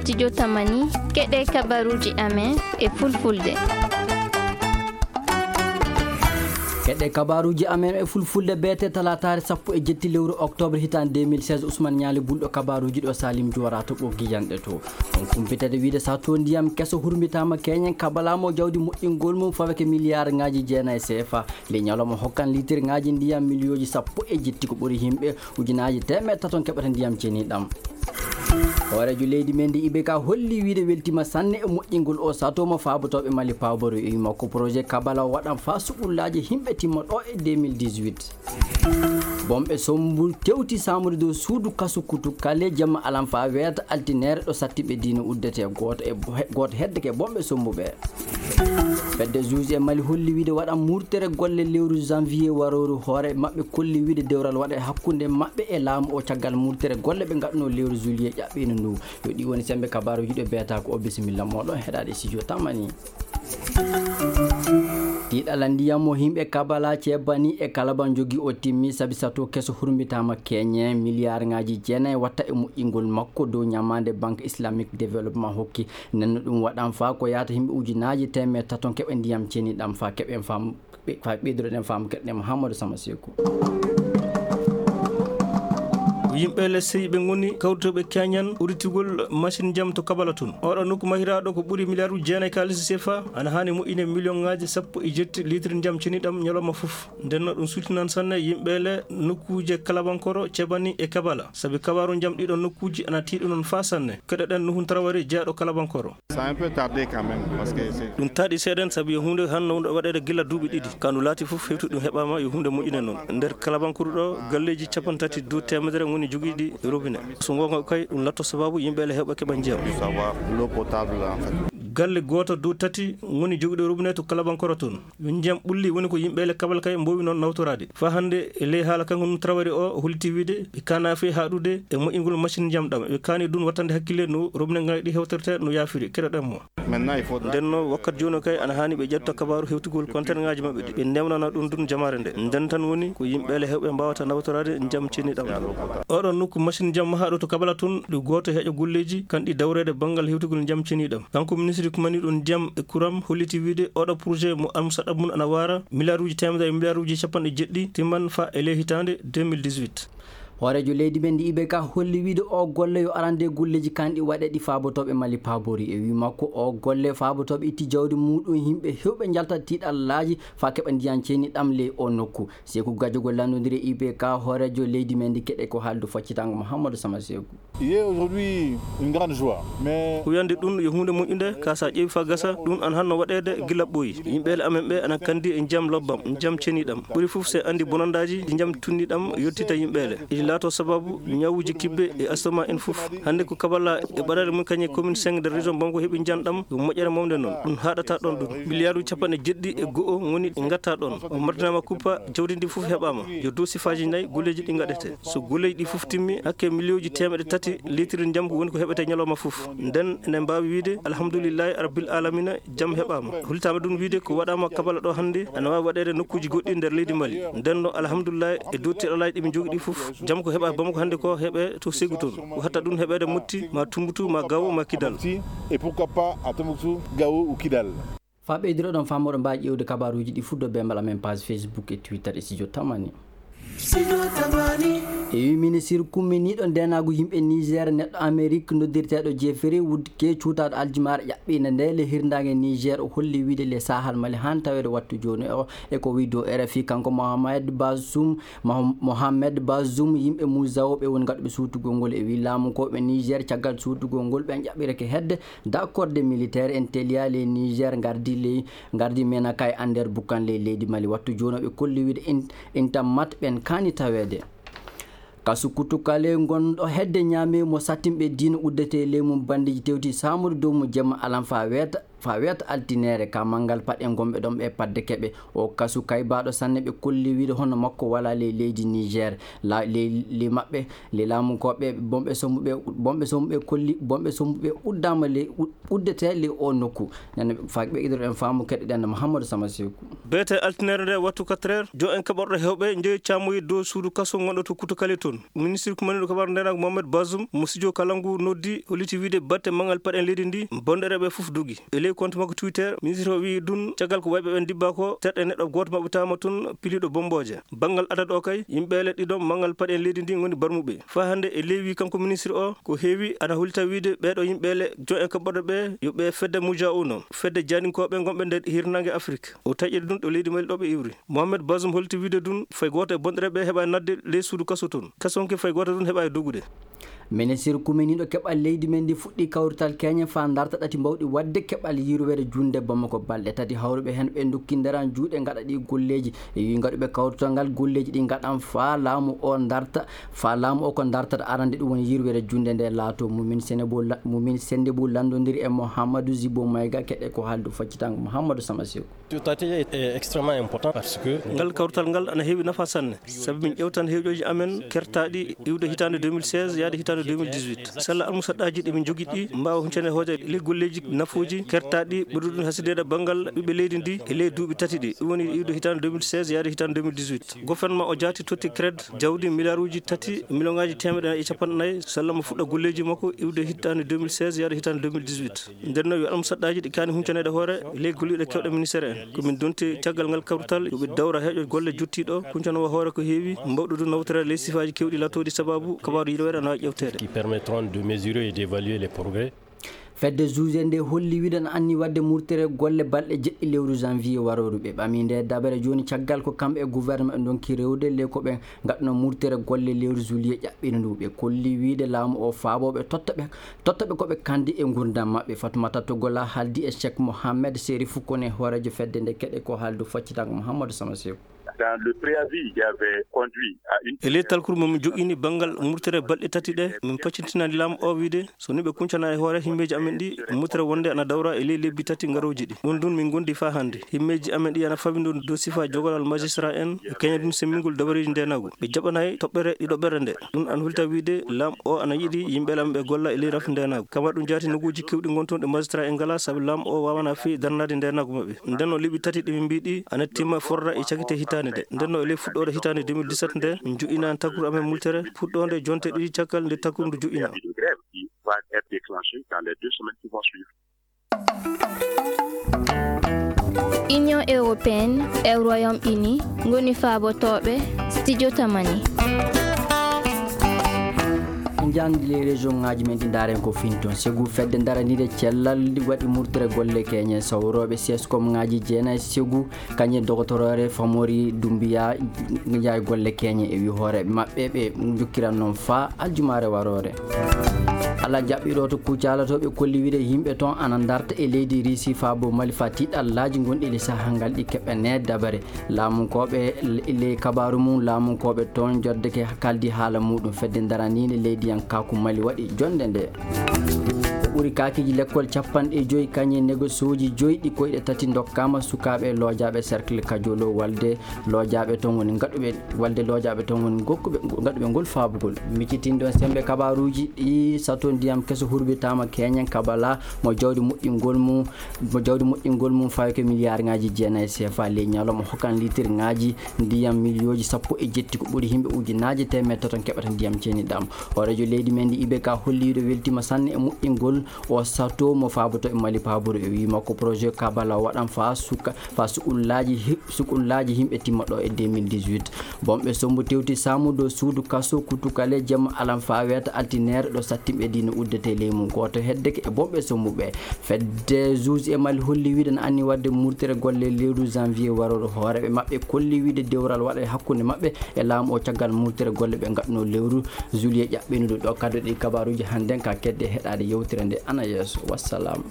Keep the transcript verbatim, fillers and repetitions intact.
Studio Tamani, keɗe kabaruuji amen e fulfulde. Keɗe kabaruuji amen e fulfulde beete talaataare sappo e jetti lewru oktoobre hitaande deux mille seize. Ousmane Ñaali bulɗo kabaruuji ɗo, Salim Juwara to ɓoggi janɗe to. On kumpitede wiide sato ndiyam keso hurmbitaama keñen kabalaama jawdi moƴƴingol mum faweke miliyaarŋaaji jeenayi C F A. Ley ñalawma hokkan litirŋaaji ndiyam miliyooji sappo e jetti ko ɓuri yimɓe ujunaaji teemeɗɗe taton keɓata ndiyam ceniɗam. Hooreejo leydi men ndi I B K holli wiide weltiima sanne e moƴƴingol o sato mo faabotooɓe Mali pawboro e makko projet kabala o waɗan faa suɓullaaji yimɓe timma ɗo e deux mille dix-huit. Bomɓe sombu tewti saamude dow suudu kasu Kutukale jemma alan faa weeta altineere ɗo sattiɓe diina uddetee gooto e, gooto heddeke bomɓe sombu ɓee. Fedde juge e Mali holli wiide waɗan murtere golle lewru janvier warooru. Hoore maɓɓe kolli wiide dewral waɗa e hakkunde maɓɓe e laamu o caggal murtere golle ɓe ngaɗunoo lewru juillet ƴaɓɓiino ndu. Yo ɗi woni semmbe kabaaruuji ɗo beetaako o. Bisimilla mooɗon heɗaade studio Tamani. Tiiɗalla ndiyam mo yimɓe Kabala, Ceebani e Kalaban njogii o timmi sabi sato keso hurmbitaama keñe miliyaarŋaaji jeenayi watta e moƴƴingol makko dow ñamaande Banque Islamique Développement hokki. Nden no ɗum waɗan faa ko yaata yimɓe ujunaaji teemeɗɗe taton keɓa ndiyam ceniɗam faa keɓen faamu, ɓe-, faa ɓeyduɗen faamu keɗɗen Mouhamadou Sama Seku. Ko yimɓe ley sey ɓe ngoni kawrutooɓe keñan udditigol machine jam to Kabala tun. Oɗo nokku mahiraaɗo ko ɓuri miliyaaruuji jeenayi kaalisi C F A ana haani moƴƴine miliyonŋaaji sappo e jetti litre ndiyam ceniɗam ñalawma fof. Nden no ɗum suutinan sanne yimɓe le nokkuuje Kalabankoro, Cebani e Kabala. Sabi kabaaru ndiyam ɗiɗon nokkuuji ana tiiɗi non faa sanne. Keɗoɗen Nuhun Tarawari jeyaaɗo Kalabankoro. Ça a un peu tardé quand même, parce que c'est... Ɗum taaɗi seeɗen sabi yo huunde hanno wonde waɗeede gila duuɓi ɗiɗi. Ka ndu laati fof hewti ɗum heɓaama yo huunde moƴƴine non. Nder Kalabankoro ɗo galleeji capanɗe tati dow teemedere ngoni jogiiɗi robinet. So ngoonga kay ɗum latto sababu yimɓe le heɓa keɓa ndiyam. Savoir l'eau potable en fait. Galle gooto dow tati ngoni jogiiɗo robinet to Kalabankoro toon. Yo ndiyam ɓulli woni ko yimɓe le Kabala kay mboowi noon nawtoraade. Faa hannde e ley haala kanko Nuhun Tarawari o, o holliti wiide ɓe kaanaa fey haaɗude e moƴƴingol machine ndiyam ɗam. Ɓe kaani ɗum wattande hakkille no robinet ngaji ɗi hewtortee no yaafiri. Keɗoɗen mo. Maintenant, il faut... Nden no wakkati jooni o kay ana haani ɓe ƴetta kabaaru hewtugol konteneŋaaji maɓɓe ɗi. Ɓe newnana ɗum ɗum jamaare nde. Nden tan woni ko yimɓe le heewɓe mbaawata nawtoraade ndiyam ceniɗam. Oɗon nokku machine ndiyam mahaaɗo to Kabala tun, ɗi gooto heƴa golleeji kan ɗi dawreede banngal hewtugol ndiyam ceniɗam. Kanko ministre kumani ɗum ndiyam e kuram holliti wiide oɗo projet mo almusaɗa mun ana waara miliyaaruuji teemedere e miliyaaruuji capanɗe jeɗɗi timman faa e ley hitaande deux mille dix-huit. Hooreejo leydi men ndi I B K holli wiide oo golle yo arande golleeji kanɗi waɗe ɗi faabotooɓe Mali paabori. E wii makko oo golle faabotooɓe itti jawdi muuɗum yimɓe heewɓe njalta tiiɗallaaji faa keɓa ndiyam ceniɗam ley oo nokku. Seeku Gajogol lanndondiri e I B K hooreejo leydi men ndi keɗe ko haaldu faccitango Mouhamadou Sama Seeku. Il y a aujourd'hui une grande joie. Mais ko wiyande ɗum yo huunde moƴƴunde, ka sa ƴeewi faa gasa, ɗum an hanno waɗeede gila ɓooyi. Yimɓe le amen ɓe ana kandi e njiyam lobbam, njiyam ceniɗam. Ɓuri fof se anndi bonandaaji ɗi njiyam tunniɗam yottita yimɓe le. Iɗi laato sababu ñawuuji kibbe e astoma en fof. Hannde ko Kabala e ɓadaade mum kañe commune cinq nder région Bamako heɓi njiyam ɗam, ko moƴƴere mawde noon. Ɗum haaɗata ɗon ɗum. Miliyaaruuji capanɗe jeɗɗi e go'o ngoni ɗi ngatta ɗon. O mardinaama kuppa, jawdi ndi fof heɓaama. Yo dow sifaaji nayi golleeji ɗi ngaɗetee. So golleeji ɗi fof timmi, hakke miliyooji teemeɗɗe tati litre ndiyam ko woni ko heɓetee ñalawma fof. Nden enen mbaawi wiide, alhamdulillahi rabbil alamina, jam heɓaama. Hollitaama ɗum wiide ko waɗaama Kabala ɗo hannde, ana waawi waɗeede nokkuuji goɗɗi nder leydi Mali. Nden no, alhamdulillahi, e dow tiiɗalaaji ɗi min njogii ɗi fof, jam ko heɓaa Bamako hannde ko heɓee to Ségou toon. Ko hatta ɗum heɓeede Motti, ma Tumbuktu, ma Gao, ma Kidal. Et pourquoi pas à Tombouctou, Gao ou Kidal. Faa ɓeydiro ɗon faamu, oɗon mbaawi ƴeewde kabaaruuji ɗi fuu dow beembal amen, page Facebook e Twitter e Studio Tamani. Studio Tamani. E wii ministir kumminiiɗo ndeenaagu yimɓe Niger, neɗɗo Amerik noddirteeɗo Jeffrey Woodke, cuutaaɗo aljumaare ƴaɓɓiinde nde le hirnaange Niger, o holli wiide le saahal Mali haan taweede wattu jooni o. E ko wii dow R F I, kanko Mohamed Bazoum, Moh-, Mohamed Bazoum, yimɓe Muzao ɓe woni gaɗuɓe suutugol ngol. E wii laamu ko ɓe Niger, caggal suutugol ngol, ɓen ƴaɓɓirake hedde. Dakorde militeer en teliyaa ley Niger ngardi ley, ngardi Menaka e Ander Bukan ley leydi Mali. Wattu jooni o ɓe kolli wiide in-, intammat ɓen kaani taweede. Kasu Kutukale ngonɗo hedde Ñaame mo sattinɓe diina uddetee ley mum banndeeji tewti saamude dow mo jemma alan faa weeta. Faa weeta altineere ka manngal paɗe ngonɓe ɗon ɓe padde keɓe. O kasu kaybaaɗo sanne ɓe kolli wiide hono makko walaa ley leydi Niger. La, ley, ley maɓɓe, ley laamunkooɓe, bonɓe sombuɓe, bonɓe sombuɓe kolli, bonɓe sombuɓe uddaama ley, ud-, uddetee ley oo nokku. Nden faa ɓe idoro en faamu keɗoɗen Mouhamadou Sama Seku. Beete altineere nde wattu quatre heures, jo en kaɓorɗo heewɓe njeyi caamoyi dow suudu kaso ngonɗo to Kutukale toon. Ministirku maniiɗo kabaaru ndeenaagu Mohamed Bazoum mo studio Kalangu noddi holliti wiide batte manngal paɗe leydi ndi bonɗereeɓe fof dogi. E ley compte makko Twitter, ministre o wiyi ɗum caggal ko wayɓe ɓen ndibba ko, terɗe neɗɗo gooto maɓɓitaama toon piliiɗo bommbooje. Banngal adat o kay, yimɓe le ɗiɗo manngal paɗe leydi ndi ngoni barmuɓe. Faa hannde e ley wii kanko ministre o, ko heewi ana hollita wiide ɓeeɗo yimɓe le jo en kaɓorɗe ɓe yo ɓe fedde Mujaa uno, fedde jaaninkooɓe ngonɓe nder hirnaange Afrik. O taƴiri ɗum ɗo leydi Mali ɗo ɓe iwri. Mohamed Bazoum holti wiide ɗum fay gooto e bonɗereeɓe heɓaani naatde ley suudu kaso toon. Kasonke fay gooto ɗum heɓaani dogude. Ministirku meniiɗo keɓal leydi men ndi fuɗɗii kawrital keeñen faa ndarta ɗati mbawɗi waɗde keɓal yirwere junnde Bamako. Balɗe tati hawruɓe heen ɓe ndokki nderan juuɗe ngaɗa ɗi golleeji. E wii ngaɗuɓe kawrital ngal golleeji ɗi ngaɗan faa laamu o ndarta, faa laamu o ko ndartata arande ɗum woni yirwere junnde nde laato. Mumin Senebo la-, Mumin Sendebu lanndondiri e Mouhamadou Zibo Mayga keɗe ko haaldu faccitango Mouhamadou Sama Seku. Ce statut est extrêmement important parce que ngal kawrital ngal ana heewi nafa sanne, sabi min ƴeewtan heeƴooji amen kertaaɗi iwde hitaande deux mille seize yaade hitaande deux mille dix-huit. Sella almusaɗɗaaji ɗi min njogii ɗi mbaawa huncande hoore ley golleeji nafooji kertaaɗi ɓurɗi ɗum hasideede banngal ɓiɓɓe leydi ndi e ley duuɓi tati ɗi. Ɗum woni iwde hitaande deux mille seize yaade hitaande deux mille dix-huit. Gouvernement o jaati totti CRED jawdi miliyaaruuji tati, miliyoŋaaji teemeɗɗe nayi e capanɗe nayi, sella mo fuɗɗa golleeji makko iwde hitaande deux mille seize yaade hitaande deux mille dix-huit. Nden noon yo almusaɗɗaaji ɗi kaani huncaneede hoore ley golliiɓe keewɗe ministeer en. Ko min ndonti caggal ngal kawrital yo ɓe dawra heeƴo golle jottiiɗo, huncanowa hoore ko heewi, mbawɗo ɗum nawtoreede ley sifaaji keewɗi laatooɗi sababu kabaaru yirwere ana waawi ƴeewteede. Qui permettront de mesurer et d'évaluer les progrès. Fedde juge nde holli wiide ana anni waɗde murtere golle balɗe jeɗɗi lewru janvier warooru. Ɓe ɓami nde dabere jooni caggal ko kamɓe e gouvernement ɓe ndonki rewde ley ko ɓe ngaɗno murtere golle lewru juillet ƴaɓɓino ndu. Ɓe kolli wiide laamu o faaboo ɓe totta ɓe, totta ɓe ko ɓe kandi e nguurndam maɓɓe. Fatoumata Togola haaldi e Cheikh Mohamed Serifou Koné, hooreejo fedde nde keɗe ko haaldu faccitango Mouhamadou Sama Seku. Dans le préavis, il y avait conduit à une... E ley talkuru mo min joƴƴini banngal murtere balɗe tati ɗe, min paccintinaani laamu o wiide so ni ɓe kuncana e hoore himmeeji amen ɗi, murtere wonde ana dawra e ley lebbi tati ngarooji ɗi. Ɗum ɗum min ngondi faa hannde. Himmeeji amen ɗi ana fawindoo dow sifa jogolal magistrat en e keñadun semmingol dabareeji ndeenaagu. Ɓe jaɓanaay toɓɓere ɗiɗoɓere nde. Ɗum ana holta wiide laamu o ana yiɗi yimɓe laamu ɓe golla e ley rafi ndeenaagu. Kama ɗum jaati noguuji keewɗi ngon toon ɗe magistrat en ngalaa sabi laamu o waawanaa fii darnaade ndeenaagu maɓɓe. Nden no lebbi tati ɗi min mbii ɗi ana timma forra e cakite hitaande nde. Nden no e ley fuɗɗoore hitaande deux mille dix-sept nde, min joƴƴinaani takru amen multere, fuɗɗoonde jonte ɗiɗi caggal nde takru ndu joƴƴinaa. Une grève qui va être déclenchée dans les deux semaines qui vont suivre. Union européenne e Royaume-Uni ngoni faabotooɓe Studio Tamani. En njahan ley région ŋaaji men ɗi ndaaren ko finton. Segu fedde ndaraniinde cellal waɗi murtere golle keeñe sawrooɓe seskom ŋaaji jeenayi segu kañe dogotoroore Famori Dumbiya njaay golle keeñe e wi hooreeɓe maɓɓe ɓe njokkiran noon faa aljumaare waroore. Alla jaɓɓiɗo to Kucala to ɓe kolli wiide yimɓe toon ana ndarta e leydi Risi faa bo Mali faa tiiɗallaaji gonɗi ley sahaa ngal ɗi keɓanee dabare. Laamunkooɓe ley kabaaru mum, laamunkooɓe toon joddeke kaldi haala muɗum fedde ndaraniinde leydiyankaaku Mali waɗi jonnde nde. Ko ɓuri kaakiiji lekkol capanɗe joyi kañe negosooji joyi ɗi koyɗe tati ndokkaama sukaaɓe loojaaɓe cercle Kajolo walde loojaaɓe toon woni ngaɗuɓe, walde loojaaɓe toon woni ngokkuɓe, ngaɗuɓe ngol faabugol. Miccitinɗo semmbe kabaaruuji ɗi sato ndiyam keso hurbitaama keñen kabala mo jawdi moƴƴingol mum, mo jawdi moƴƴingol mum fawi ko miliyaarŋaaji jeenayi C F A ley ñalawma hokkan litirŋaaji ndiyam miliyooji sappo e jetti ko ɓuri yimɓe ujunaaje teemedde tati keɓata ndiyam ceniɗam. Hooreejo leydi men ndi I B K holli ɗo weltiima sanne e moƴƴingol o sato mo faaboto e Mali paaburu e wii makko projet Kabala waɗan faa suka, faa sukullaaji hi-, sukullaaji yimɓe timma ɗo e deux mille dix-huit. Bonɓe sombu tewti saamu dow suudu kaso Kutukale jemma alan faa weeta altineere ɗo sattimɓe diina uddetee ley mum. Gooto heddeke e bonɓe sombuɓe. Fedde juge e Mali holli wiide na anni waɗde murtere golle lewru janvier warooru. Hooreeɓe maɓɓe kolli wiide dewral waɗa e hakkunde maɓɓe e laamu o caggal murtere golle ɓe ngaɗnoo lewru juillet ɓenuɗo ɗo. Kaddoɗi kabaaruuji hannden ka kedde heɗaade yewtere nde ana yeeso. Wassalam.